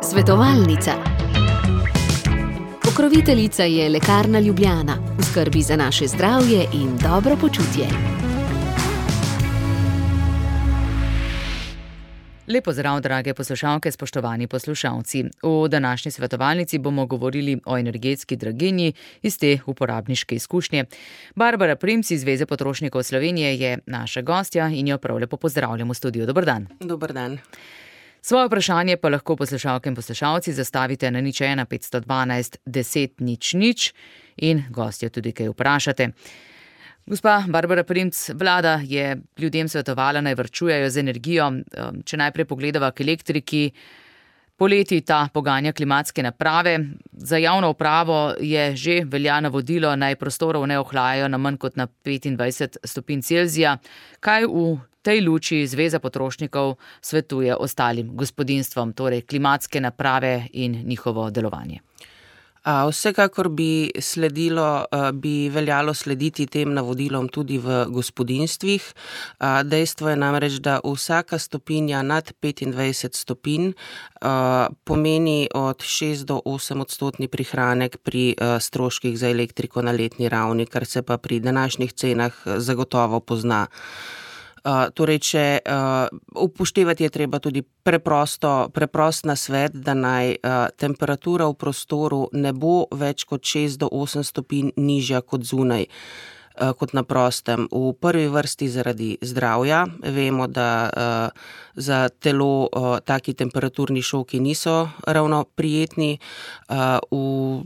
Svetovalnica. Pokroviteljica je Lekarna Ljubljana, v skrbi za naše zdravje in dobro počutje. Lep pozdrav, drage poslušalke, spoštovani poslušalci. V današnji svetovalnici bomo govorili o energetski draginji iz te uporabniške izkušnje. Barbara Primc iz Zveze potrošnikov Slovenije je naša gostja in jo prav lepo pozdravljam v studiu. Dober dan. Dober dan. Svoje vprašanje pa lahko poslušalke in poslušalci zastavite na 01 512 10 00 in gostjo tudi kaj vprašate. Gospa Barbara Primc, vlada je ljudem svetovala, naj varčujejo z energijo. Če najprej pogledava k elektriki, poleti ta poganja klimatske naprave. Za javno upravo je že velja navodilo, naj prostorov ne ohlajajo na manj kot na 25 stopinj Celzija. Kaj v tej luči Zveza potrošnikov svetuje ostalim gospodinjstvom, torej klimatske naprave in njihovo delovanje? Vsekakor bi veljalo slediti tem navodilom tudi v gospodinjstvih. Dejstvo je namreč, da vsaka stopinja nad 25 stopinj pomeni od 6 do 8 odstotni prihranek pri stroških za elektriko na letni ravni, kar se pa pri današnjih cenah zagotovo pozna. Torej, če upoštevati je treba tudi preprost nasvet, da naj temperatura v prostoru ne bo več kot 6 do 8 stopinj nižja kot zunaj, kot na prostem. V prvi vrsti zaradi zdravja. Vemo, da za telo taki temperaturni šoki niso ravno prijetni. V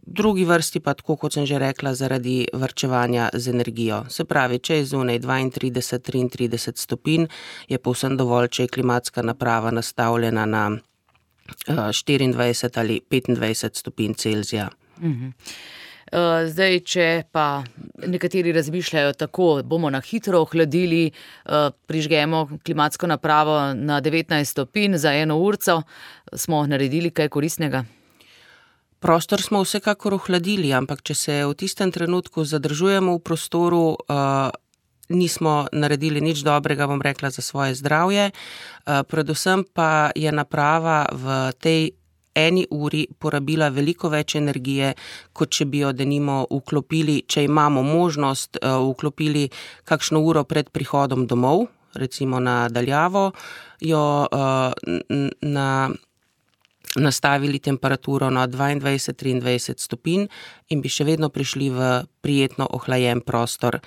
drugi vrsti pa, tako kot sem že rekla, zaradi varčevanja z energijo. Se pravi, če je zunaj 32-33 stopinj, je povsem dovolj, če je klimatska naprava nastavljena na 24 ali 25 stopinj Celzija. Zdaj, če pa nekateri razmišljajo tako, bomo na hitro ohladili, prižgemo klimatsko napravo na 19 stopinj za 1 urco, smo naredili kaj koristnega? Prostor smo vsekakor ohladili, ampak če se v tistem trenutku zadržujemo v prostoru, nismo naredili nič dobrega, bom rekla, za svoje zdravje. Predvsem pa je naprava v tej 1 uri porabila veliko več energije, kot če bi jo denimo vklopili, če imamo možnost, vklopili kakšno uro pred prihodom domov, recimo na daljavo, jo nastavili temperaturo na 22-23 stopinj in bi še vedno prišli v prijetno ohlajen prostor,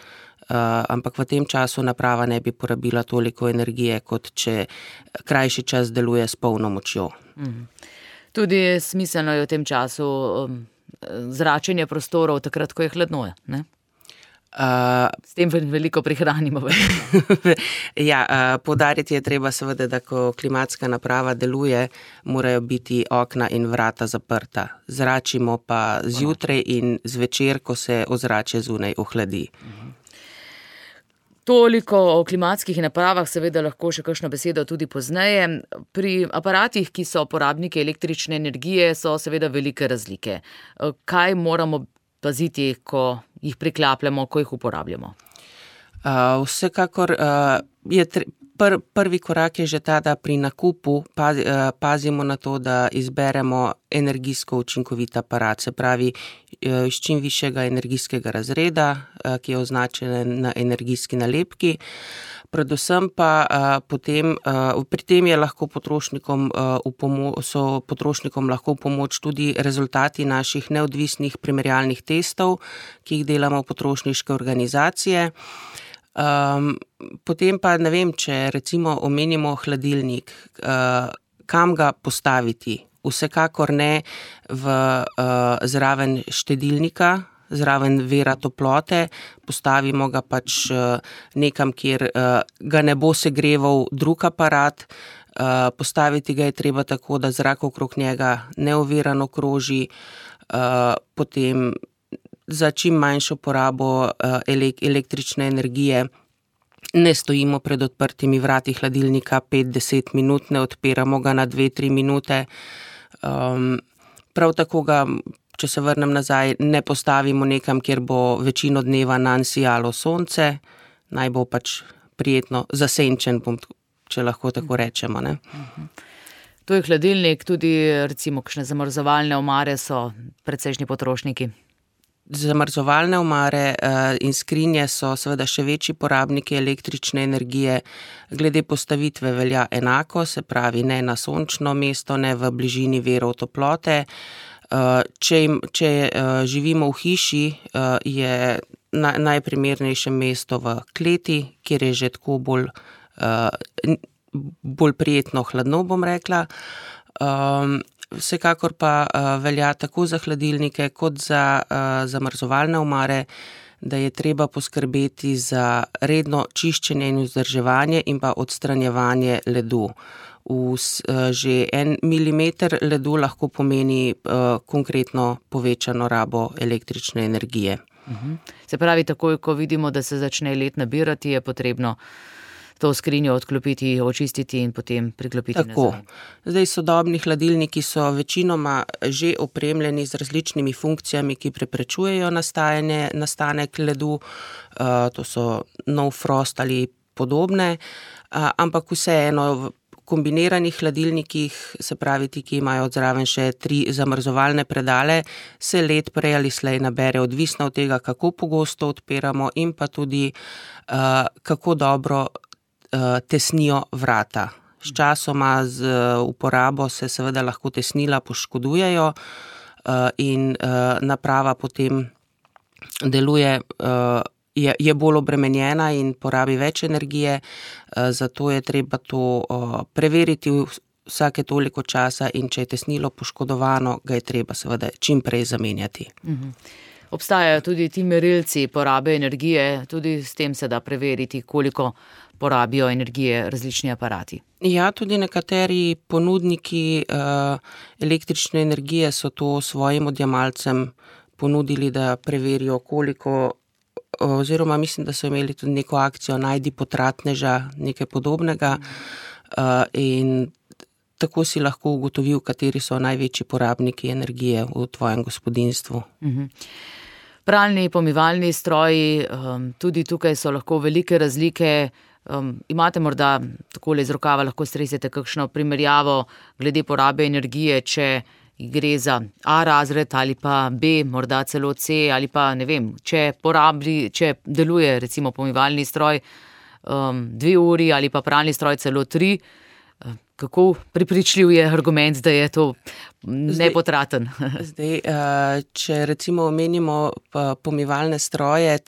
ampak v tem času naprava ne bi porabila toliko energije, kot če krajši čas deluje s polno močjo. Tudi smiselno je v tem času zračenje prostorov, takrat, ko je hladno, ne? S tem veliko prihranimo. Poudariti je treba seveda, da ko klimatska naprava deluje, morajo biti okna in vrata zaprta. Zračimo pa zjutraj in zvečer, ko se ozračje zunaj ohladi. Toliko o klimatskih napravah, seveda lahko še kakšno besedo tudi pozneje. Pri aparatih, ki so porabniki električne energije, so seveda velike razlike. Kaj moramo paziti, ko jih priklapljamo, ko jih uporabljamo? Vsekakor je prvi korak je že ta, da pri nakupu pazimo na to, da izberemo energijsko učinkovit aparat, se pravi iz čim višjega energijskega razreda, ki je označen na energijski nalepki. Predvsem pa potem, pri tem je lahko potrošnikom lahko v pomoč tudi rezultati naših neodvisnih primerjalnih testov, ki jih delamo v potrošniške organizacije. Potem pa ne vem, če recimo omenimo hladilnik, kam ga postaviti. Vsekakor ne zraven štedilnika, zraven vira toplote, postavimo ga pač nekam, kjer ga ne bo segreval drug aparat. Postaviti ga je treba tako, da zrak okrog njega neovirano kroži, potem za čim manjšo porabo električne energije ne stojimo pred odprtimi vrati hladilnika 5-10 minut, ne odpiramo ga na 2-3 minute. Prav tako ga, če se vrnem nazaj, ne postavimo nekam, kjer bo večino dneva nanj sijalo sonce, naj bo pač prijetno zasenčen, bom če lahko tako rečemo, ne. To je hladilnik, tudi recimo kakšne zamrzovalne omare so precejšnji potrošniki. Zamrzovalne omare in skrinje so seveda še večji porabniki električne energije. Glede postavitve velja enako, se pravi ne na sončno mesto, ne v bližini virov toplote. Če živimo v hiši, je najprimernejše mesto v kleti, kjer je že tako bolj prijetno hladno, bom rekla. Vsekakor pa velja tako za hladilnike kot za zamrzovalne omare, da je treba poskrbeti za redno čiščenje in vzdrževanje in pa odstranjevanje ledu. Že 1 milimeter ledu lahko pomeni konkretno povečano rabo električne energije. Se pravi, takoj, ko vidimo, da se začne led nabirati, je potrebno to skrinjo odklopiti, očistiti in potem priklopiti nazaj. Tako. Zdaj sodobni hladilniki so večinoma že opremljeni z različnimi funkcijami, ki preprečujejo nastanek ledu. To so no frost ali podobne, ampak vseeno v kombiniranih hladilnikih, se pravi ti, ki imajo odzraven še 3 zamrzovalne predale, se led prej ali slej nabere, odvisno od tega, kako pogosto odpiramo in pa tudi kako dobro tesnijo vrata. Sčasoma z uporabo se seveda lahko tesnila poškodujejo in naprava potem deluje, je bolj obremenjena in porabi več energije, zato je treba to preveriti vsake toliko časa in če je tesnilo poškodovano, ga je treba seveda čim prej zamenjati. Obstajajo tudi ti merilci porabe energije, tudi s tem se da preveriti, koliko porabijo energije različni aparati. Ja, tudi nekateri ponudniki električne energije so to svojim odjemalcem ponudili, da preverijo, koliko, oziroma mislim, da so imeli tudi neko akcijo Najdi potratneža, nekaj podobnega, in tako si lahko ugotovil, kateri so največji porabniki energije v tvojem gospodinjstvu. Pralni, pomivalni stroji, tudi tukaj so lahko velike razlike. Imate morda takole iz rokava lahko stresete kakšno primerjavo glede porabe energije, če gre za A razred ali pa B, morda celo C ali pa ne vem, če deluje recimo pomivalni stroj 2 uri ali pa pralni stroj celo 3, kako prepričljiv je argument, da je to nepotraten? Zdaj, če recimo omenimo pomivalne stroje,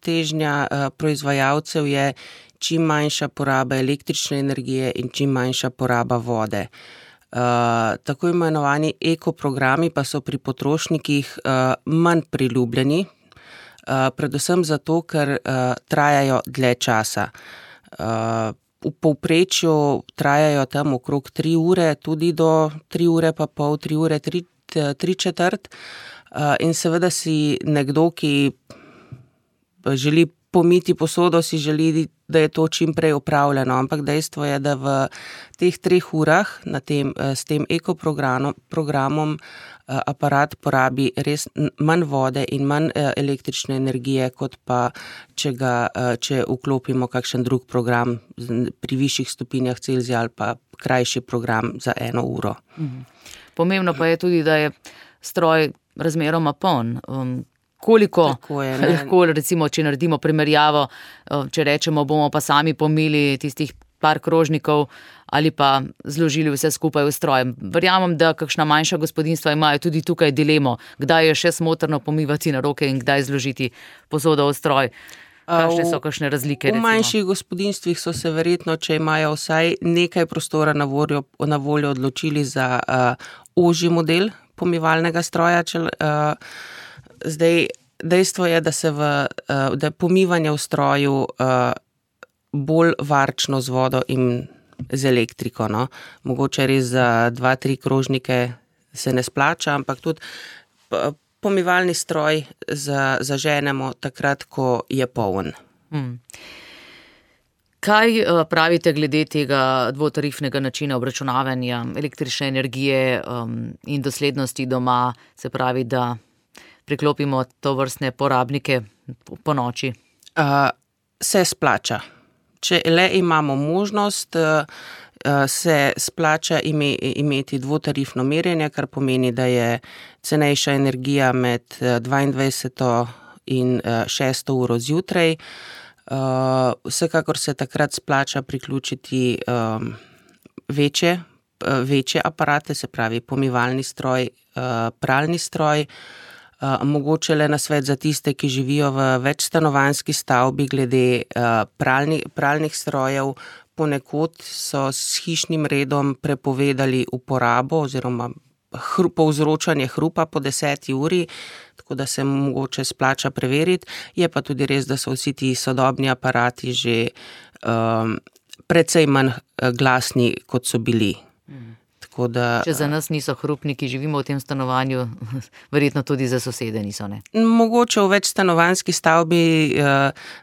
težnja proizvajalcev je čim manjša poraba električne energije in čim manjša poraba vode. Tako imenovani ekoprogrami pa so pri potrošnikih manj priljubljeni, predvsem zato, ker trajajo dlje časa. V povprečju trajajo tam okrog 3 ure, tudi do 3 ure pa pol, 3 ure, 3/4. In seveda si nekdo, ki želi pomiti posodo, si želi, da je to čim prej opravljeno, ampak dejstvo je, da v teh 3 urah s tem ekoprogramom aparat porabi res manj vode in manj električne energije, kot pa če vklopimo kakšen drug program pri višjih stopinjah Celzija ali pa krajši program za 1 uro. Pomembno pa je tudi, da je stroj razmeroma poln. Koliko lahko, recimo, če naredimo primerjavo, če rečemo, bomo pa sami pomili tistih par krožnikov ali pa zložili vse skupaj v stroj. Verjamem, da kakšna manjša gospodinjstva imajo tudi tukaj dilemo, kdaj je še smotrno pomivati na roke in kdaj zložiti posodo v stroj. Kakšne so kakšne razlike? V manjših gospodinjstvih so se verjetno, če imajo vsaj nekaj prostora na voljo, odločili za ožji model pomivalnega stroja. Zdaj, dejstvo je, da je pomivanje v stroju bolj varčno z vodo in z elektriko, no. Mogoče res za 2-3 krožnike se ne splača, ampak tudi pomivalni stroj zaženemo takrat, ko je poln. Kaj pravite glede tega dvotarifnega načina obračunavanja električne energije in doslednosti doma, se pravi, da priklopimo tovrstne porabnike po noči? Se splača. če le imamo možnost, se splača imeti dvotarifno merjenje, kar pomeni, da je cenejša energija med 22. in 6. uro zjutraj. Vsekakor se takrat splača priključiti večje aparate, se pravi pomivalni stroj, pralni stroj. Mogoče le nasvet za tiste, ki živijo v večstanovanjski stavbi glede pralnih strojev. Ponekod so s hišnim redom prepovedali uporabo oziroma povzročanje hrupa po 10. uri, tako da se mogoče splača preveriti. Je pa tudi res, da so vsi ti sodobni aparati že precej manj glasni, kot so bili. Tako da, če za nas niso hrupni, ki živimo v tem stanovanju, verjetno tudi za sosede niso, ne? Mogoče v večstanovanjski stavbi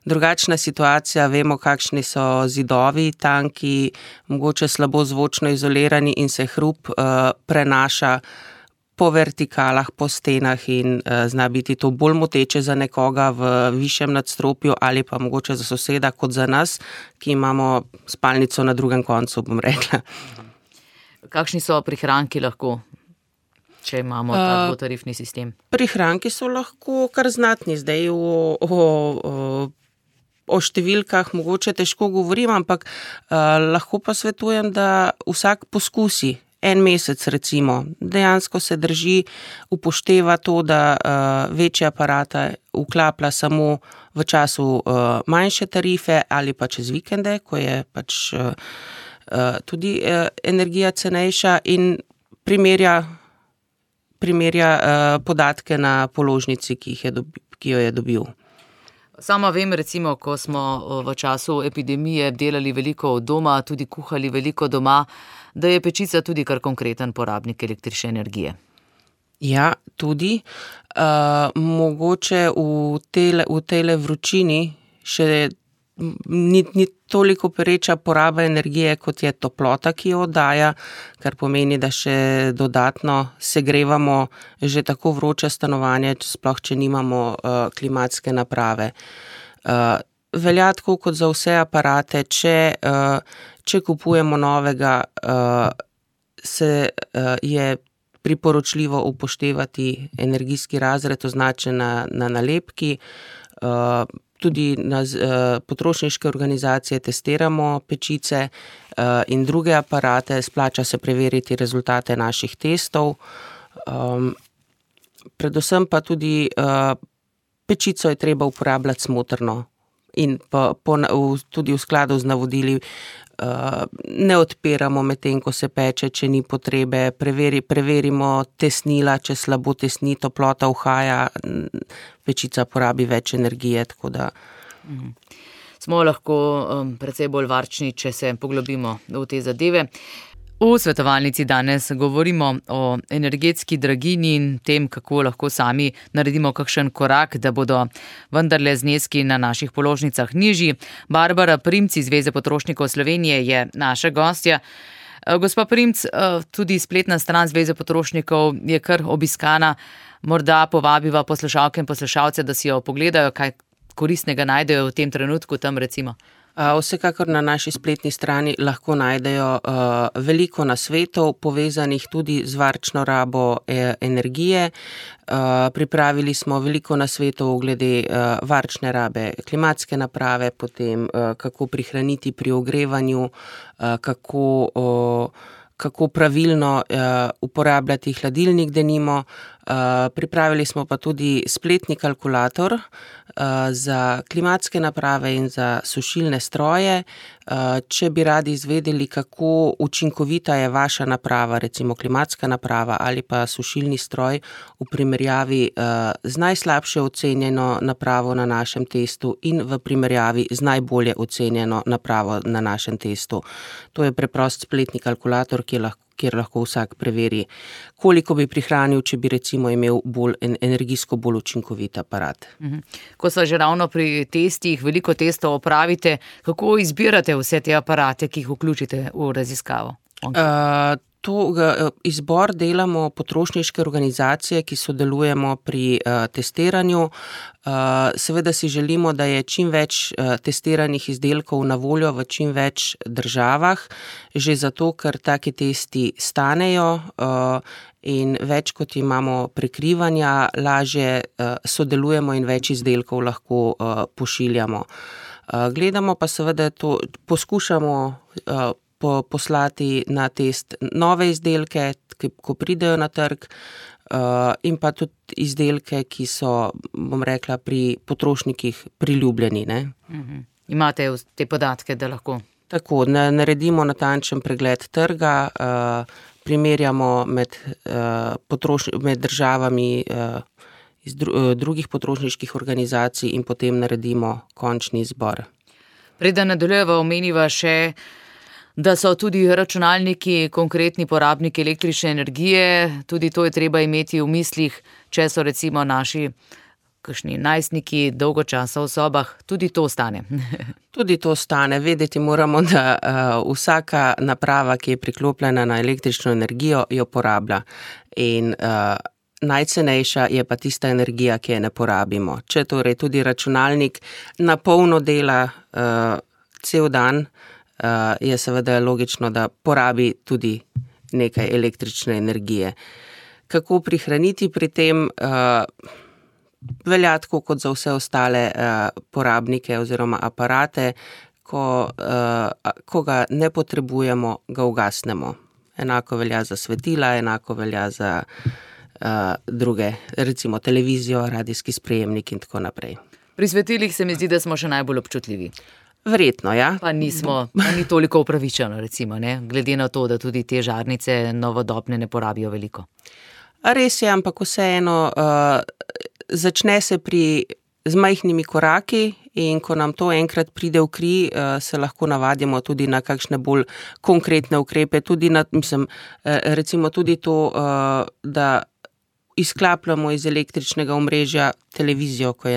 drugačna situacija, vemo, kakšni so zidovi tanki, mogoče slabo zvočno izolirani in se hrup prenaša po vertikalah, po stenah in zna biti to bolj moteče za nekoga v višjem nadstropju ali pa mogoče za soseda kot za nas, ki imamo spalnico na drugem koncu, bom rekla. Kakšni so prihranki lahko, če imamo ta dvotarifni sistem? Prihranki so lahko kar znatni. Zdaj o številkah mogoče težko govorim, ampak lahko pa svetujem, da vsak poskusi. En mesec recimo, dejansko se drži, upošteva to, da večje aparate vklaplja samo v času manjše tarife ali pa čez vikende, ko je pač tudi energija cenejša in primerja podatke na položnici, ki jo je dobil. Sama vem, recimo, ko smo v času epidemije delali veliko od doma, tudi kuhali veliko doma, da je pečica tudi kar konkreten porabnik električne energije. Ja, tudi. Mogoče v tejle vročini še ni toliko pereča poraba energije, kot je toplota, ki jo oddaja, kar pomeni, da še dodatno segrevamo že tako vroče stanovanje, sploh če nimamo klimatske naprave. Velja tako kot za vse aparate, če kupujemo novega, je priporočljivo upoštevati energijski razred, označen na nalepki. Tudi na potrošniške organizacije testiramo pečice in druge aparate, splača se preveriti rezultate naših testov. Predvsem pa tudi pečico je treba uporabljati smotrno in tudi v skladu z navodili ne odpiramo medtem, ko se peče, če ni potrebe. Preverimo tesnila, če slabo tesni, toplota uhaja, pečica porabi več energije, tako da. Smo lahko precej bolj varčni, če se poglobimo v te zadeve. V svetovalnici danes govorimo o energetski draginji in tem, kako lahko sami naredimo kakšen korak, da bodo vendarle zneski na naših položnicah nižji. Barbara Primc iz Zveze potrošnikov Slovenije je naša gostja. Gospa Primc, tudi spletna stran Zveze potrošnikov je kar obiskana. Morda povabiva poslušalke in poslušalce, da si jo pogledajo, kaj koristnega najdejo v tem trenutku tam recimo. Vsekakor na naši spletni strani lahko najdejo veliko nasvetov, povezanih tudi z varčno rabo energije. Pripravili smo veliko nasvetov glede varčne rabe klimatske naprave, potem kako prihraniti pri ogrevanju, kako pravilno uporabljati hladilnik denimo. Pripravili smo pa tudi spletni kalkulator za klimatske naprave in za sušilne stroje. Če bi radi izvedeli, kako učinkovita je vaša naprava, recimo klimatska naprava ali pa sušilni stroj v primerjavi z najslabše ocenjeno napravo na našem testu in v primerjavi z najbolje ocenjeno napravo na našem testu. To je preprost spletni kalkulator, kjer lahko vsak preveri, koliko bi prihranil, če bi recimo imel energijsko bolj učinkovit aparat. Ko so že ravno pri testih, veliko testov opravite, kako izbirate vse te aparate, ki jih vključite v raziskavo? Izbor delamo potrošniške organizacije, ki sodelujemo pri testiranju. Seveda si želimo, da je čim več testiranih izdelkov na voljo v čim več državah, že zato, ker taki testi stanejo in več kot imamo prekrivanja, lažje sodelujemo in več izdelkov lahko pošiljamo. Gledamo pa seveda to, poskušamo poslati na test nove izdelke, ko pridejo na trg, in pa tudi izdelke, ki so, bom rekla, pri potrošnikih priljubljeni. Ne? Imate te podatke, da lahko? Tako, naredimo natančen pregled trga, primerjamo med državami iz drugih potrošniških organizacij in potem naredimo končni izbor. Preden nadaljujeva, omeniva še, da so tudi računalniki konkretni porabniki električne energije, tudi to je treba imeti v mislih, če so recimo naši kakšni najstniki dolgo časa v sobah, tudi to stane. Tudi to stane. Vedeti moramo, da vsaka naprava, ki je priklopljena na električno energijo, jo porablja. In najcenejša je pa tista energija, ki je ne porabimo. Če torej tudi računalnik na polno dela cel dan, je seveda logično, da porabi tudi nekaj električne energije. Kako prihraniti pri tem? Velja tako kot za vse ostale porabnike oziroma aparate, ko ga ne potrebujemo, ga ugasnemo. Enako velja za svetila, enako velja za druge, recimo televizijo, radijski sprejemnik in tako naprej. Pri svetilih se mi zdi, da smo še najbolj občutljivi. Verjetno, ja. Pa ni toliko upravičeno, recimo, ne? Glede na to, da tudi te žarnice novodobne ne porabijo veliko. Res je, ampak vseeno začne se z majhnimi koraki in ko nam to enkrat pride v kri, se lahko navadimo tudi na kakšne bolj konkretne ukrepe, tudi recimo tudi to, da izklapljamo iz električnega omrežja televizijo, ko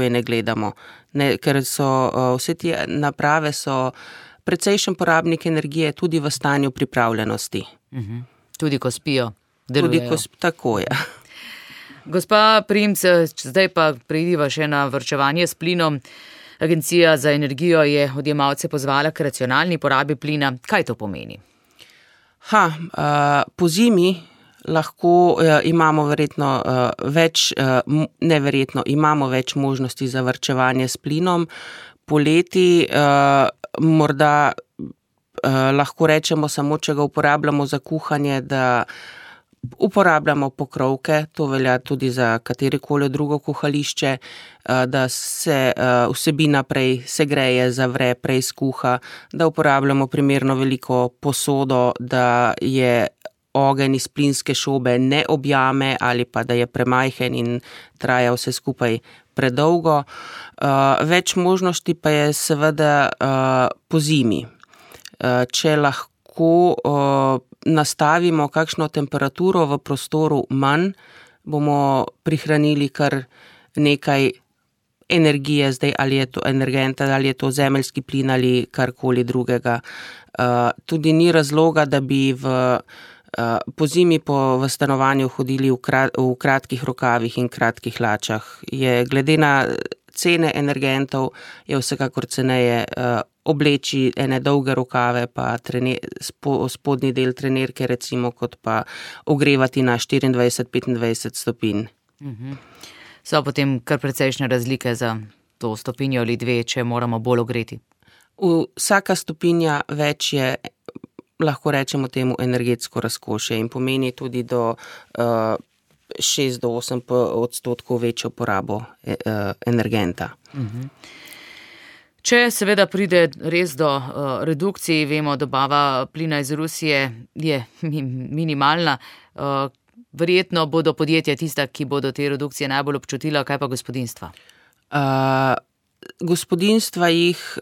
je ne gledamo. Ker so vse te naprave so precejšen porabnik energije tudi v stanju pripravljenosti. Tudi ko spijo, delujejo. Tako je. Gospa Primc, zdaj pa preidiva še na varčevanje s plinom. Agencija za energijo je odjemalce pozvala k racionalni porabi plina. Kaj to pomeni? Po zimi lahko imamo imamo več možnosti za varčevanje s plinom. Poleti morda lahko rečemo samo, če ga uporabljamo za kuhanje, da uporabljamo pokrovke, to velja tudi za katerikoli drugo kuhališče, da se vsebina prej segreje, zavre, prej skuha, da uporabljamo primerno veliko posodo, da je ogenj iz plinske šobe ne objame ali pa da je premajhen in traja vse skupaj predolgo. Več možnosti pa je seveda po zimi. Če lahko nastavimo kakšno temperaturo v prostoru manj, bomo prihranili kar nekaj energije, zdaj ali je to energenta, ali je to zemeljski plin ali karkoli drugega. Tudi ni razloga, da bi po zimi v stanovanju hodili v kratkih rokavih in kratkih hlačah. Glede na cene energentov je vsekakor ceneje obleči ene dolge rokave pa spodnji del trenirke recimo, kot pa ogrevati na 24-25 stopinj. So potem kar precejšnje razlike za to stopinjo ali dve, če moramo bolj ogreti? Vsaka stopinja več je, lahko rečemo temu, energetsko razkošje in pomeni tudi do 6-8% večjo porabo energenta. Če seveda pride res do redukcij, vemo, dobava plina iz Rusije je minimalna, verjetno bodo podjetja tista, ki bodo te redukcije najbolj občutila, kaj pa gospodinjstva? Gospodinjstva jih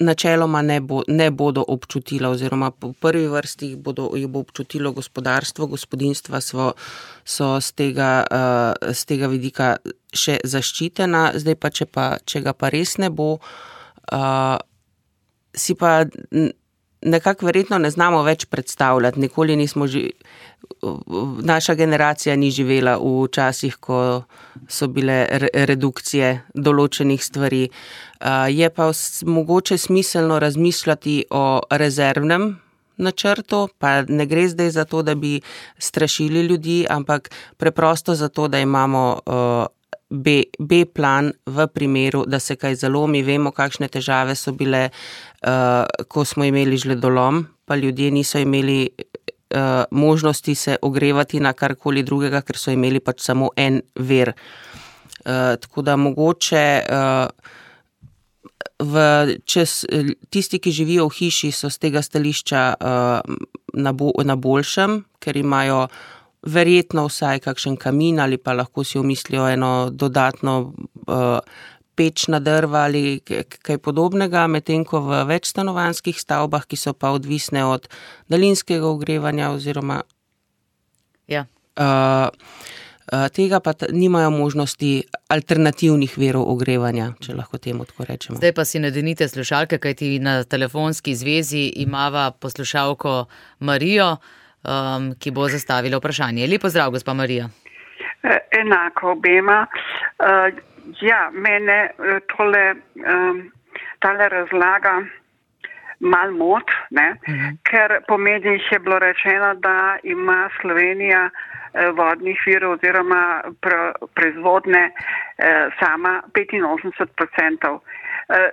načeloma ne bodo občutila oziroma po prvi vrsti jih bo občutilo gospodarstvo, gospodinjstva so z tega vidika še zaščitena, zdaj pa če ga pa res ne bo, si pa nekako verjetno ne znamo več predstavljati. Nikoli nismo naša generacija ni živela v časih, ko so bile redukcije določenih stvari. Je pa mogoče smiselno razmišljati o rezervnem načrtu, pa ne gre zdaj za to, da bi strašili ljudi, ampak preprosto zato, da imamo B plan v primeru, da se kaj zalomi. Vemo, kakšne težave so bile, ko smo imeli žledolom, pa ljudje niso imeli možnosti se ogrevati na karkoli drugega, ker so imeli pač samo en vir. Tako da mogoče tisti, ki živijo v hiši, so z tega stališča na boljšem, ker imajo verjetno vsaj kakšen kamin ali pa lahko si omislijo eno dodatno peč na drva ali kaj podobnega, medtem ko v večstanovanjskih stavbah, ki so pa odvisne od daljinskega ogrevanja oziroma tega pa nimajo možnosti alternativnih virov ogrevanja, če lahko temu tako rečemo. Zdaj pa si nadenite slušalke, kajti na telefonski zvezi imava poslušalko Marijo, ki bo zastavila vprašanje. Lep pozdrav, gospa Marija. Enako obema. Mene tale razlaga malo mot, ker po medijih je bilo rečeno, da ima Slovenija vodnih virov oziroma proizvodne sama 85%.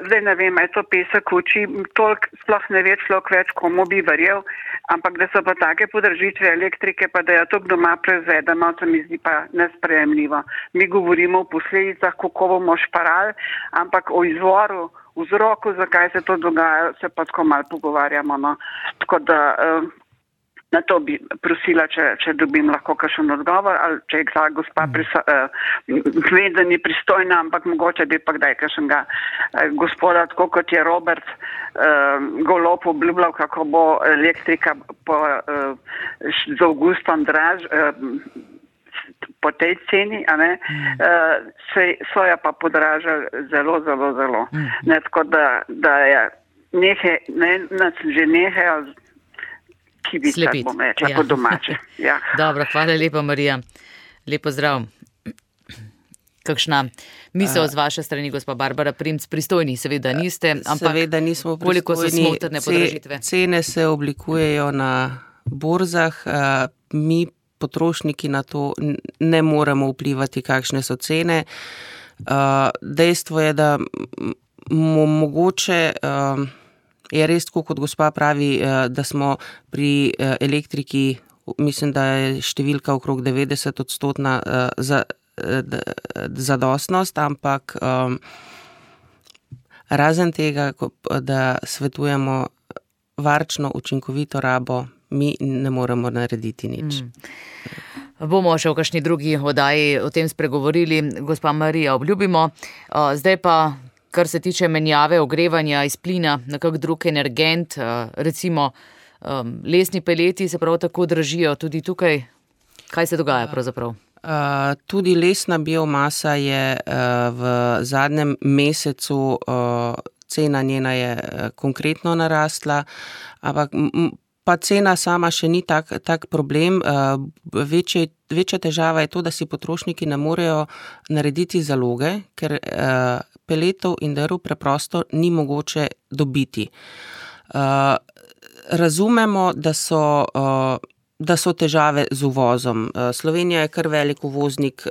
Zdaj ne vem, je to pesek v oči, toliko sploh ne ve človek več, komu bi verjel, ampak da so pa take podražitve elektrike, pa da je to doma proizvedeno, to mi zdi pa nesprejemljivo. Mi govorimo o posledicah, kako bomo šparali, ampak o izvoru, vzroku, zakaj se to dogaja, se pa tako malo pogovarjamo. No. Tako da na to bi prosila, če dobim lahko kakšen odgovor, ali če je ta gospa ve, da ni pristojna, ampak mogoče bi pa kdaj kakšnega gospoda, tako kot je Robert Golob obljubljal, kako bo elektrika z avgustom draž po tej ceni, soja pa podraža zelo, zelo, zelo. Tako da je že nehajo slepiti. Bom rekla, po domače. Dobro, hvala lepa, Marija. Lep pozdrav. Kakšna misel z vaše strani, gospa Barbara Primc? Pristojni seveda niste, ampak seveda nismo pristojni. Koliko so smotrne podražitve? Cene se oblikujejo na borzah, mi potrošniki na to ne moremo vplivati, kakšne so cene. Dejstvo je, da mogoče je res tako, kot gospa pravi, da smo pri elektriki, mislim, da je številka okrog 90% zadostnost, ampak razen tega, da svetujemo varčno, učinkovito rabo, mi ne moremo narediti nič. Bomo še v kakšni drugi oddaji o tem spregovorili, gospa Marija, obljubimo. Zdaj pa, kar se tiče menjave ogrevanja iz plina na kak drug energent, recimo lesni peleti se prav tako dražijo tudi tukaj. Kaj se dogaja pravzaprav? Tudi lesna biomasa je v zadnjem mesecu, cena njena je konkretno narastla, ampak pa cena sama še ni tak problem. Večja težava je to, da si potrošniki ne morejo narediti zaloge, ker peletov in drv preprosto ni mogoče dobiti. Razumemo, da so težave z uvozom. Slovenija je kar velik uvoznik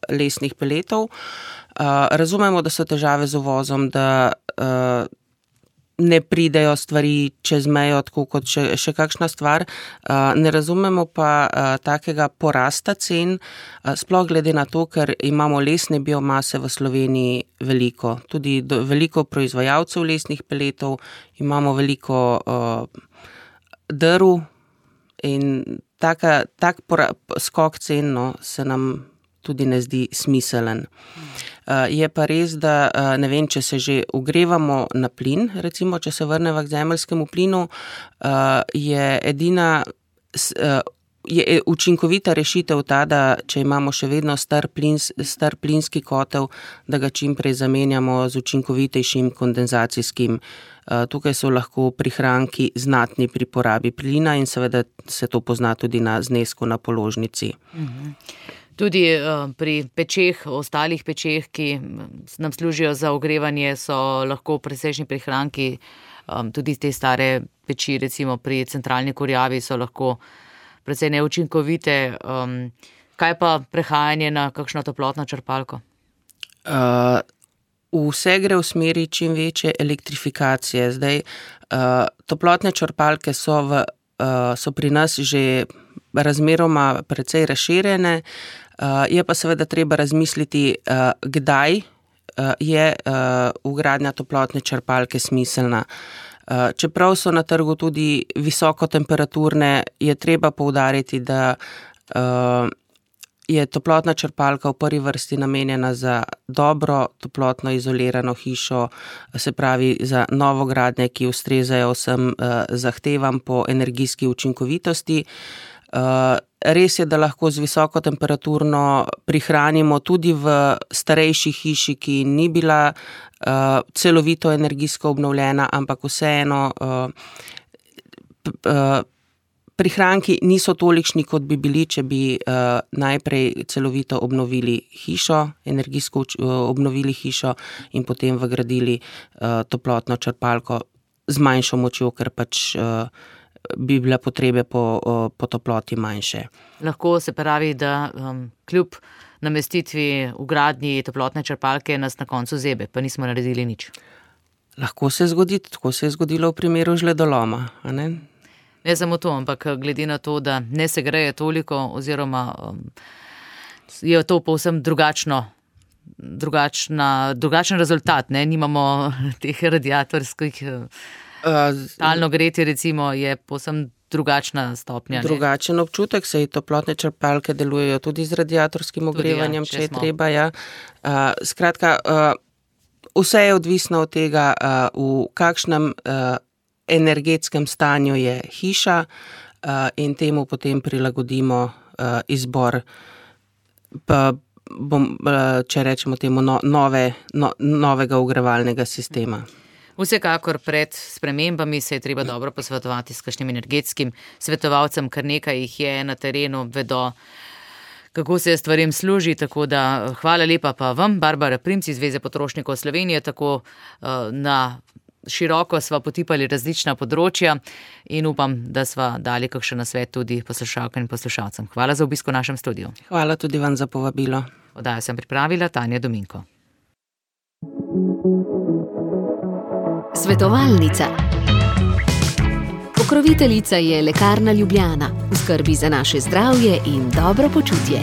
lesnih peletov. Razumemo, da so težave z uvozom, da ne pridejo stvari čez mejo, tako kot še kakšna stvar. Ne razumemo pa takega porasta cen, sploh glede na to, ker imamo lesne biomase v Sloveniji veliko. Tudi veliko proizvajalcev lesnih peletov, imamo veliko drv in tak skok cen se nam tudi ne zdi smiselen. Je pa res, da ne vem, če se že ogrevamo na plin, recimo, če se vrneva k zemeljskemu plinu, je edina je učinkovita rešitev ta, da če imamo še vedno star plinski kotel, da ga čim prej zamenjamo z učinkovitejšim kondenzacijskim. Tukaj so lahko prihranki znatni pri porabi plina in seveda se to pozna tudi na znesku na položnici. Tudi pri pečeh, ostalih pečeh, ki nam služijo za ogrevanje, so lahko presečni prihranki. Tudi te stare peči, recimo pri centralni kurjavi, so lahko precej neučinkovite. Kaj pa prehajanje na kakšno toplotno črpalko? Vse gre v smeri čim večje elektrifikacije. Zdaj, toplotne črpalke so pri nas že razmeroma precej razširjene. Je pa seveda treba razmisliti, kdaj je vgradnja toplotne črpalke smiselna. Čeprav so na trgu tudi visokotemperaturne, je treba poudariti, da je toplotna črpalka v prvi vrsti namenjena za dobro toplotno izolirano hišo, se pravi za novogradnje, ki ustrezajo vsem zahtevam po energijski učinkovitosti. Res je, da lahko z visokotemperaturno prihranimo tudi v starejši hiši, ki ni bila celovito energijsko obnovljena, ampak vseeno prihranki niso tolikšni, kot bi bili, če bi najprej celovito obnovili hišo, energijsko obnovili hišo in potem vgradili toplotno črpalko z manjšo močjo, ker pač bi bile potrebe po toploti manjše. Lahko se pravi, da kljub namestitvi vgradnji toplotne črpalke nas na koncu zebe, pa nismo naredili nič. Lahko se zgodi, tako se je zgodilo v primeru žledoloma, a ne? Ne samo to, ampak glede na to, da ne se greje toliko oziroma je to povsem drugačen rezultat, ne? Nimamo teh radiatorskih talno gretje, recimo, je povsem drugačna stopnja. Drugačen občutek, saj toplotne črpalke delujejo tudi z radiatorskim ogrevanjem, če je treba. Ja. Skratka, vse je odvisno od tega, v kakšnem energetskem stanju je hiša in temu potem prilagodimo izbor, če rečemo temu, novega ogrevalnega sistema. Vsekakor pred spremembami se je treba dobro posvetovati s kakšnim energetskim svetovalcem, kar nekaj jih je na terenu, vedo, kako se stvarem služi, tako da hvala lepa pa vam, Barbara Primc iz Zveze potrošnikov Slovenije, tako na široko sva potipali različna področja in upam, da sva dali kakšen nasvet tudi poslušalkam in poslušalcem. Hvala za obisk v našem studiu. Hvala tudi vam za povabilo. Oddajo sem pripravila Tanja Dominko. Svetovalnica. Pokroviteljica je Lekarna Ljubljana, v skrbi za naše zdravje in dobro počutje.